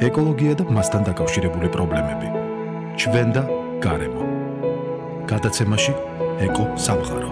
ეკოლოგია და მასთან დაკავშირებული პრობლემები. ჩვენ და გარემო. გადაცემაში ეკო სამყარო.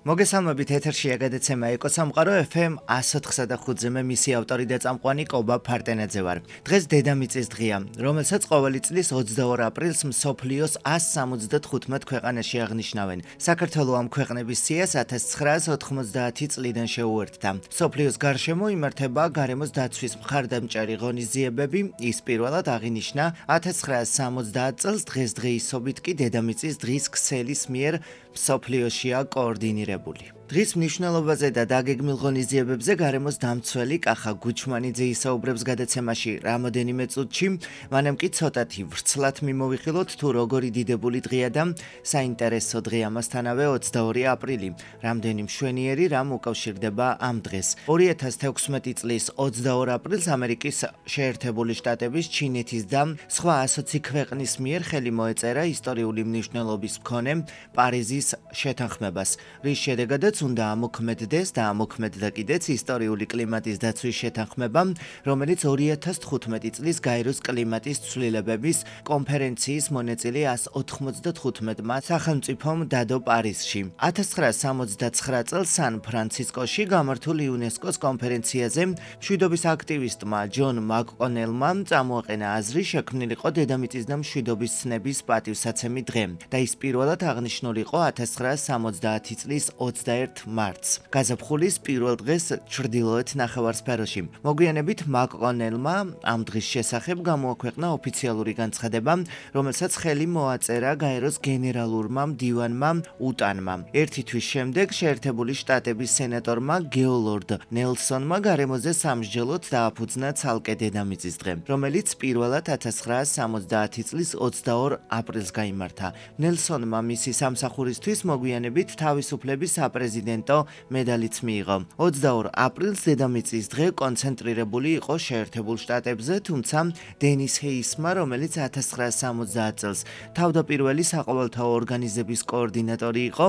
მოგესალმებით, ეთერშია გადაცემა ეკო სამყარო FM 104.5-ზე მე მისი ავტორი და წამყვანი კობა ფარტენაძე ვარ. დღეს დედამიწის დღეა, რომელსაც ყოველი წლის 22 აპრილს მსოფლიოს 175 ქვეყანაში აღნიშნავენ. საქართველოს ამ ქვეყნების სიას 1990 წლიდან შეუერთდა. მსოფლიოს გარშემო იმართება გარემოს დაცვის მხარდამჭერი ღონისძიებები, ის პირველად აღინიშნა 1970 წელს დღესდღეობით კი დედამიწის დღის ქსელის მიერ მსოფლიოშია კოორდინირებული. დღის მნიშვნელობაზე და დაგეგმილ ღონისძიებებზე გარემოს დამცველი კახა გუჩმანიძე ისაუბრებს გადაცემაში რამოდენიმე წუთში, მანამ კი ცოტათი ვრცლად მიმოვიხილოთ თუ როგორი დიდებული დღეა და საინტერესო დღე ამასთანავე 22 აპრილი. რამდენი მშვენიერი რამ უკავშირდება ამ დღეს. 2016 წლის 22 აპრილს ამერიკის შეერთებული შტატების, ჩინეთის და სხვა 120 ქვეყნის მიერ ხელი მოეწერა ისტორიული მნიშვნელობის მქონე პარიზის შეთანხმებას, რის შედეგადაც უნდა ამოქმედდეს და ამოქმედდა კიდეც ისტორიული კლიმატის დაცვის შეთანხმება, რომელიც 2015 წლის გაეროს კლიმატის ცვლილებების კონფერენციის მონაწილე 195-მა სახელმწიფომ დადო პარიზში. 1969 წელს სან-ფრანცისკოში გამართულ იუნესკოს კონფერენციაზე მშვიდობის აქტივისტმა ჯონ მაკკონელმა წამოაყენა აზრი შექმნილიყო დედამიწის და მშვიდობის ცნების პატივსაცემი დღე და ის პირველად აღნიშნულიყო 1970 წლის 21 მარტს, გაზაფხულის პირველ დღეს ჩრდილოეთ ნახევარსფეროში. მოგვიანებით მაკკონელმა ამ დღის შესახებ გამოაქვეყნა ოფიციალური განცხადება, რომელსაც ხელი მოაწერა გაეროს გენერალურმა მდივანმა უტანმა. ერთი თვის შემდეგ შეერთებული შტატების სენატორმა გეოლორდ ნელსონმა გარემოზე სამსჯელოდ დააფუძნა ცალკე დედამიწის დღე, რომელიც პირველად 1970 წლის 22 აპრილს გაიმართა. ნელსონმა მისი სამსახურისთვის მოგვიანებით თავისუფლების საპრეზიდენტო მედალიც მიიღო. 22 აპრილს დედამიწის დღე კონცენტრირებული იყო შეერთებულ შტატებზე, თუმცა დენის ჰეისმა, რომელიც 1970 წელს თავდაპირველი საყოველთაო ორგანიზების კოორდინატორი იყო,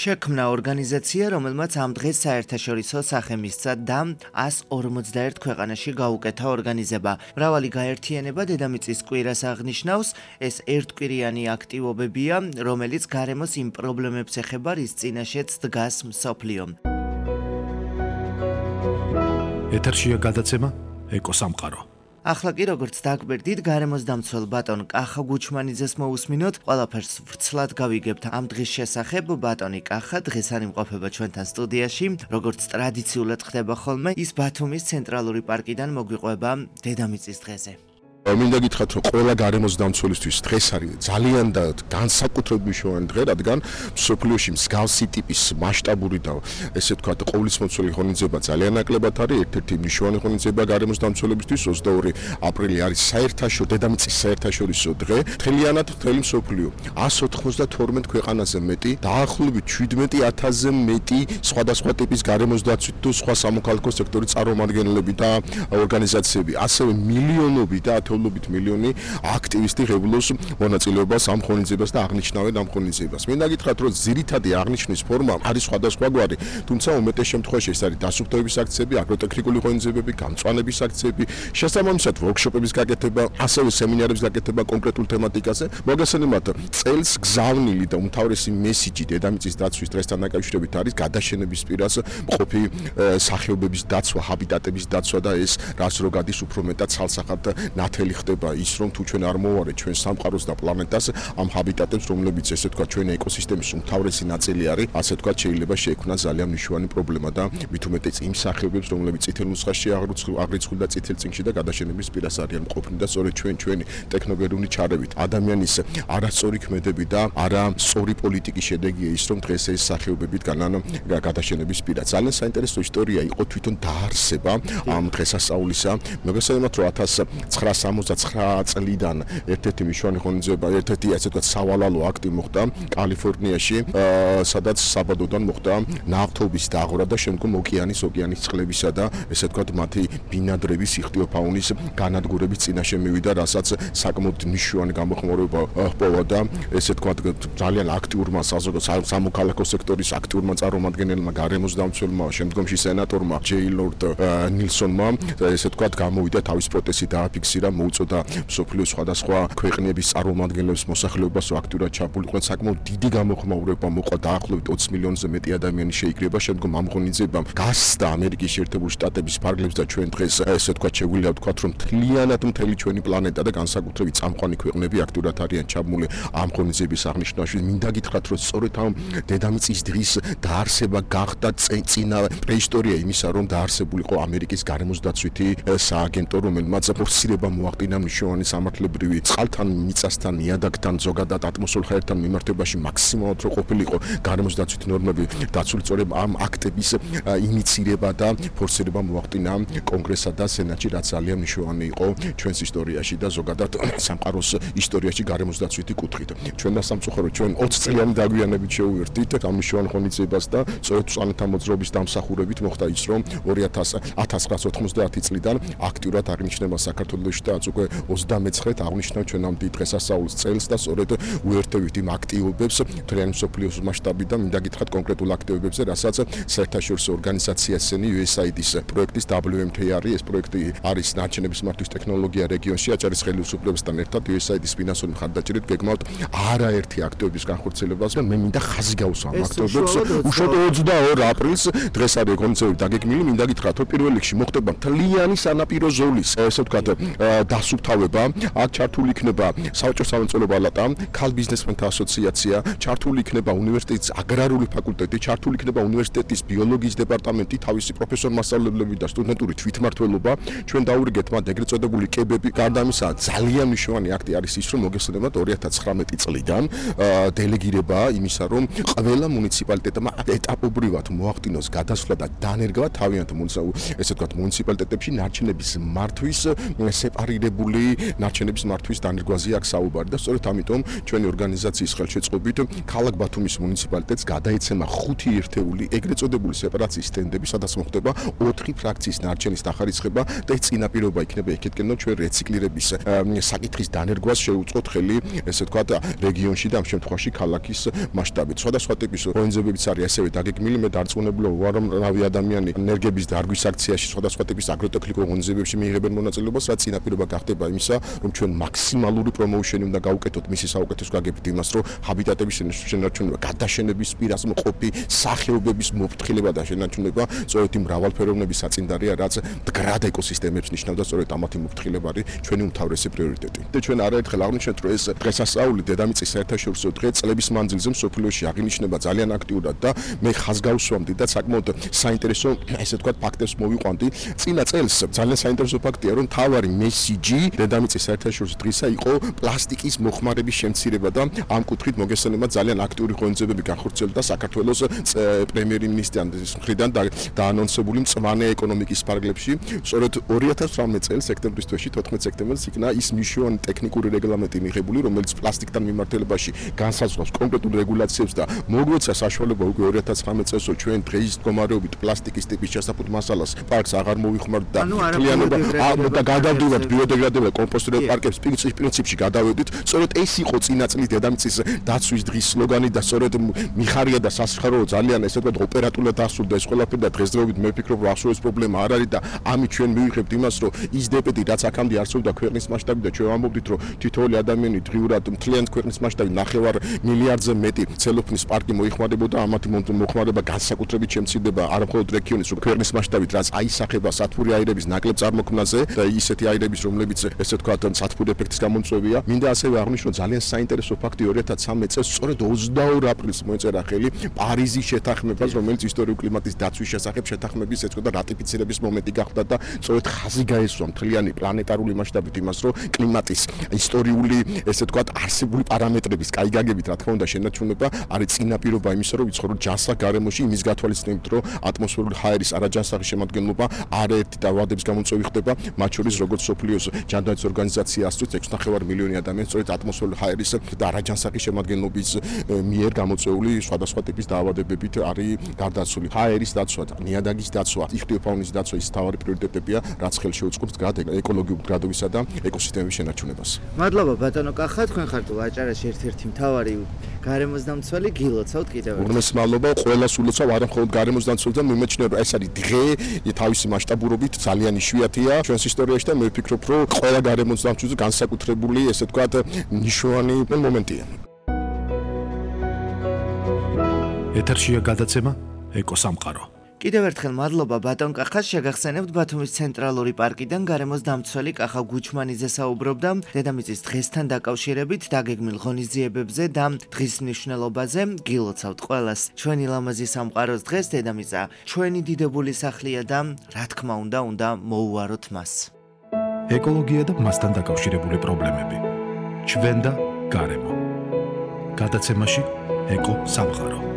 შექმნა ორგანიზაცია, რომელმაც ამ დღეს საერთაშორისო სახე მისცა და 151 ქვეყანაში გაუკეთა ორგანიზება. მრავალი გაერთიანება დედამიწის კვირას აღნიშნავს, ეს ერთკვირიანი აქტივობებია, რომელიც გარემოს იმ პრობლემებს ეხება, რის წინაშეც დგას მსოფლიო. ეთერშია გადაცემა ეკო სამყარო. ახლა კი როგორც დაგვერდით, გარემოს დამცველ ბატონ კახა გუჩმანიძეს მოусმინოთ, ყველაფერს ვრცლად გავიგებთ ამ დღის შესახებ. ბატონი კახა დღეს არ იმყოფება ჩვენთან სტუდიაში, როგორც ტრადიციულად ხდება ხოლმე, ის ბათუმის ცენტრალური პარკიდან მოგვიყვება დედამიწის დღეზე. მინდა გითხრათ, რომ ყველა გარემოს დამცველისთვის დღეს არის ძალიან და განსაკუთრებით მნიშვნელოვანი დღე, რადგან მსოფლიოში მსგავსი ტიპის მასშტაბური და ესე ვთქვათ, ყოვლისმომცველი ღონისძიება ძალიან ნაკლებად არის. ერთ-ერთი მნიშვნელოვანი ღონისძიება გარემოს დამცველებისთვის 22 აპრილი არის დედამიწის საერთაშორისო დღე. მთლიანად მთელი მსოფლიო 192 ქვეყანაზე მეტი, დაახლოებით 17,000-ზე მეტი სხვადასხვა ტიპის გარემოს დაცვით თუ სხვა სამოქალაქო სექტორის წარმომადგენლები და ორგანიზაციები, ასევე მილიონობით და მილიონი აქტივისტი ღებულობს მონაწილეობას ამ ღონისძიებას და აღნიშნავენ ამ ღონისძიებას. მინდა გითხრათ, რომ ძირითადი აღნიშვნის ფორმა არის სხვადასხვაგვარი, თუმცა უმეტეს შემთხვევაში ეს არის დასუფთავების აქციები, აგროტექნიკური ღონისძიებები, გამწვანების აქციები, შესაბამისად ვორქშოპების გაკეთება, ასევე სემინარების გაკეთება კონკრეტულ თემატიკაზე. მოგესალმებით, წელს გზავნილი და უმთავრესი მესიჯი დედამიწის დაცვის დღესთან დაკავშირებით არის გადაშენების პირას მყოფი სახეობების დაცვა, ჰაბიტატების დაცვა და ეს რაც რო გადის უფრო მეტად ცალსახად ნათელი ხდება ის, რომ თუ ჩვენ არ მოვარეთ ჩვენ სამყაროს და პლანეტას, ამ ჰაბიტატებს, რომლებიც ესე ვთქვათ ჩვენ ეკოსისტემის უმთავრესი ნაწილი არის, ასე ვთქვათ, შეიძლება შეექმნას ძალიან მნიშვნელოვანი პრობლემა და მით უმეტეს იმ სახეობებს, რომლებიც წითელ ნუსხაში აღრიცხული და წითელ წიგნში და გადაშენების პირას არიან მყოფნი და სწორედ ჩვენი ტექნოგენური ჩარევით, ადამიანის არასწორი ქმედები და არასწორი პოლიტიკის შედეგია ის, რომ დღეს ეს სახეობებით განან გადაშენების პირას. ძალიან საინტერესო ისტორია იყო თვითონ დაარსება ამ დღესასწაულისა. მოგესალმებით, რომ 1900 1969 წლიდან ერთ-ერთი მნიშვნელოვანი ღონისძიება, ერთ-ერთი ასე ვთქვათ სავალალო აქტი მოხდა კალიფორნიაში, სადაც საბადოდან მოხდა ნავთობის დაღვრა და შემდგომ ოკეანის წყლებისა და ესე ვთქვათ მათი ბინადრების იხტიოფაუნის განადგურების წინაშე მივიდა, რასაც საკმაოდ მნიშვნელოვანი გამოხმაურება ჰპოვა და ესე ვთქვათ ძალიან აქტიურმა სამოქალაქო სექტორის აქტიურმა წარმომადგენელმა, გარემოს დამცველმა, შემდგომში სენატორმა ჯეი ლორდ ნილსონმა ესე ვთქვათ გამოვიდა თავის პროტესტი დააფიქსირა, მოუწოდა მსოფლიოს სხვადასხვა ქვეყნების წარმომადგენლებს მოსახლეობას აქტიურად ჩაბულიყვნენ, საკმაოდ დიდი გამოხმაურება მოყვა, დაახლოებით 20 მილიონზე მეტი ადამიანი შეიკრიბა, შემდგომ ამ ღონისძიებამ გასცდა ამერიკის შეერთებული შტატების ფარგლებს და ჩვენ დღეს ესე ვთქვათ შეგვიძლია ვთქვათ, რომ მთლიანად მთელი ჩვენი პლანეტა და განსაკუთრებით წამყვანი ქვეყნები აქტიურად არიან ჩაბმული ამ ღონისძიების აღნიშვნაში. მინდა გითხრათ, რომ სწორედ ამ დედამიწის დღის დაარსება გახდა წინა პრეისტორია იმისა, რომ დაარსებულიყო ამერიკის გარემოს დაცვითი სააგენტო, რომელმაც ფორსირება მოახდინა მნიშვნელოვანი სამართლებრივი წყალთან, მიწასთან, ნიადაგთან, ზოგადად ატმოსფერულ ხერხთან მიმართებაში მაქსიმალურად რო ყოფილიყო გარემოს დაცვითი ნორმები დაცული. სწორედ ამ აქტების ინიცირება და ფორსირება მოახდინა კონგრესსა და სენატში, რაც ძალიან მნიშვნელოვანი იყო ჩვენს ისტორიაში და ზოგადად სამყაროს ისტორიაში გარემოს დაცვითი კუთხით. ჩვენ და სამწუხაროდ ჩვენ 20 წლიანი დაგვიანებით შევუერთდით ამ მნიშვნელოვან ღონისძიებას და სწორედ პლანეტა მოძრაობის დამსახურებით მოხდა ის, რომ 1990 წლიდან აქტიურად აღნიშნება საქართველოში და უკვე 29-ით აღნიშნავ ჩვენ ამ დიდ დღესასწაულის წელს და სწორედ უერთდებით იმ აქტივობებს მთლიანი მსოფლიოს მასშტაბით და მინდა გითხრათ კონკრეტულ აქტივობებზე, რასაც საერთაშორისო ორგანიზაცია USAID-ის პროექტის WMTR ეს პროექტი არის ნარჩენების მართვის ტექნოლოგია რეგიონში აჭარის ხელისუფლებასთან ერთად USAID-ის ფინანსური მხარდაჭერით გეგმავთ არაერთი აქტივობის განხორციელებას და მე მინდა ხაზი გავუსვა ამ აქტივობებს. უშუალოდ 22 აპრილს დღეს არის ღონისძიება დაგეგმილი, მინდა გითხრათ, რომ პირველ რიგში მოხდება მთლიანი სანაპირო ზოლის ესე ვთქვათ დასუფთავება. აქ ჩართული იქნება საოჯახო სამომწვევო პალატა, ქალ ბიზნესმენთა ასოციაცია, ჩართული იქნება უნივერსიტეტის აგრარული ფაკულტეტი, ჩართული იქნება უნივერსიტეტის ბიოლოგიის დეპარტამენტი, თავისი პროფესორ-მასწავლებლები და სტუდენტური თვითმმართველობა. ჩვენ დაურიგეთ მათ ეგრეთ წოდებული კებები. გარდა ამისა, ძალიან მნიშვნელოვანი აქტი არის ის, რომ მოგესალმებათ 2019 წლიდან დელეგირება იმისა, რომ ყველა მუნიციპალიტეტმა ეტაპობრივად მოახდინოს გადასვლა და დანერგვა თავიანთ ესე ვთქვათ მუნიციპალიტეტებში ნარჩენების მართვის სეპარირებული ნარჩენების მართვის დანერგვაზე აქ საუბარი და სწორედ ამიტომ ჩვენი ორგანიზაციის ხელშეწყობით ქალაქ ბათუმის მუნიციპალიტეტს გადაეცემა 5 ერთეული ეგრეთ წოდებული სეპარაციის სტენდები, სადაც მოხდება 4 ფრაქციის ნარჩენის დახარისხება და ეს წინაპირობა იქნება იქეთკენ, რომ ჩვენ რეციკლირების საკითხის დანერგვას შეუწყოთ ხელი, ესე ვთქვათ, რეგიონში და ამ შემთხვევაში ქალაქის მასშტაბით. სხვადასხვა ტიპის ორგანიზებებიც არის ასევე დაგეგმილი. მე დარწმუნებული ვარ, რომ რავი ადამიანი ენერგების დარგვის აქციაში, სხვადასხვა ტიპის აგროტექნიკურ ორგანიზებებში მიიღებენ მონაწილეობას, რაც წინაპირობა გახდება იმისა, რომ ჩვენ მაქსიმალური პრომოუშენი უნდა გავუკეთოთ მისი საუკეთესო გაგებით იმას, რომ ჰაბიტატების შენარჩუნება, გადაშენების პირას მყოფი სახეობების მოფრთხილება და შენარჩუნება სწორედ იმ მრავალფეროვნების საწინდარია, რაც მდგრად ეკოსისტემებს ნიშნავდა, სწორედ ამათი მოფრთხილება არის ჩვენი უმთავრესი პრიორიტეტი. და ჩვენ არაერთხელ აღვნიშნეთ, რომ ეს დღესასწაული დედამიწის საერთაშორისო დღე წლების მანძილზე მსოფლიოში აღინიშნება ძალიან აქტიურად და მე ხაზს გავუსვამდი და საკმაოდ საინტერესო ესე ვთქვათ ფაქტებს მოვიყვანდი. წინა წელს ძალიან საინტერესო ფაქტია, რომ თავარი მესიჯი დედამიწის საერთაშორისო დღისა იყო პლასტიკის მოხმარების შემცირება და ამ კუთხით მოგესალმებათ ძალიან აქტიური ღონისძიებები განხორციელდა საქართველოს პრემიერ-მინისტრის მხრიდან დაანონსებული მწვანე ეკონომიკის ფარგლებში. სწორედ 2018 წელს სექტემბრის თვეში 14 სექტემბერს იქნა ის მნიშვნელოვანი ტექნიკური რეგლამენტი მიღებული, რომელიც პლასტიკთან მიმართებაში განსაზღვრავს კონკრეტულ რეგულაციებს და მოგვეცა საშუალება უკვე 2019 წელს ჩვენ დღეის მდგომარეობით პლასტიკის ტიპის შესაფუთ მასალას პარკს აღარ მოვიხმართ და მთლიანობა და გადავდივართ ბიოდეგრადებულ კომპოსტერულ პარკებს პრინციპში გადავედით. სწორედ ეს იყო წინა წლის დედამიწის დაცვის დღის სლოგანი და სწორედ მიხარია და სასიხარო ძალიან ესე ვთქვათ ოპერატულად დასრულდა ეს ყველაფერი და დღესდღეობით მე ვფიქრობ, რომ ახსოვეს პრობლემა არ არის და ამით ჩვენ მივიღებთ იმას, რომ ის დებეტი რაც აქამდე არსებობდა ქვეყნის მასშტაბით და ჩვენ ვამბობდით, რომ თითოეული ადამიანი დღიურად მთლიანად ქვეყნის მასშტაბით 9 მილიარდზე მეტი ცელოფნის პარკი მოიხმარებოდა, ამათი მოხმარება განსაკუთრებით შემცირდება არა მხოლოდ რეგიონის, რომ ქვეყნის მასშტაბით, რაც აისახება სათბური აირების ნაკლებ წარმოქმნაზე და ისეთი აირების, რომლებიც ესე ვთქვათ სათბური ეფექტის გამომწვევია. მინდა ასევე აღვნიშნო ძალიან საინტერესო ფაქტი 2013 წელს სწორედ 22 აპრილს მოეწერა ხელი პარიზის შეთანხმებას, რომელიც ისტორიული კლიმატის დაცვის შესახებ შეთანხმების ეწოდა და რატიფიცირების მომენტი გახდა და სწორედ ხაზი გაესვა მთლიანი პლანეტარული მასშტაბით იმას, რომ კლიმატის ისტორიული ესე ვთქვათ არსებული პარამეტრების კაი გაგებით, რა თქმა უნდა, შენარჩუნება არის წინაპირობა იმისა, რომ ვიცხოვროთ ჯანსაღ გარემოში, იმის გათვალისწინებით, რომ ატმოსფერული ჰაერის არაჯანსაღი შემადგენლობა არაერთი დაავადების გამომწვევი ხდება, მათ შორის როგორც სოფლიო მსოფლიოს ჯანდაცვის ორგანიზაცია ასწვით 6.5 მილიონი ადამიანი სწორედ ატმოსფერული ჰაერის და რაჯანსაღის შემადგენლობის მიერ გამოწვეული სხვადასხვა ტიპის დაავადებებით არის გარდაცვლილი. ჰაერის დაცვა, ნიადაგის დაცვა, იხტიოფაუნის დაცვა ის თავარი პრიორიტეტებია, რაც ხელს შეუწყობს ეკოლოგიურ მდგრადობისა და ეკოსისტემების შენარჩუნებას. მადლობა ბატონო კახა, თქვენ ხართ ვაჭარაში ერთ-ერთი მთავარი გარემოს დამცველი, გილოცავთ კიდევ ერთხელ. ორმეს მადლობა, ყველას ულოცავ, არა მხოლოდ გარემოს დამცველს და მიმეჩნევა, ეს არის დღე, თავისი მასშტაბურობით ძალიან იშვიათია ჩვენს ისტორიაში და მე ვფიქრობ, რომ ყველა გარემოს დამცველს განსაკუთრებული, ესე ვთქვათ, ნიშნავანი მომენტია. ეთერშია გადაცემა ეკოსამყარო. კიდევ ერთხელ მადლობა ბატონ კახას, შეგახსენებთ ბათუმის ცენტრალური პარკიდან გარემოს დამცველი კახა გუჩმანიძე საუბრობდა დედამიწის დღესთან დაკავშირებით დაგეგმილ ღონისძიებებზე და დღის მნიშვნელობაზე. გილოცავთ ყველას ჩვენი ლამაზი სამყაროს დღეს, დედამიწა ჩვენი დიდებული სახლია და რა თქმა უნდა მოუვაროთ მას. ეკოლოგია და მასთან დაკავშირებული პრობლემები. ჩვენ და გარემო. გადაცემაში ეკო სამყარო.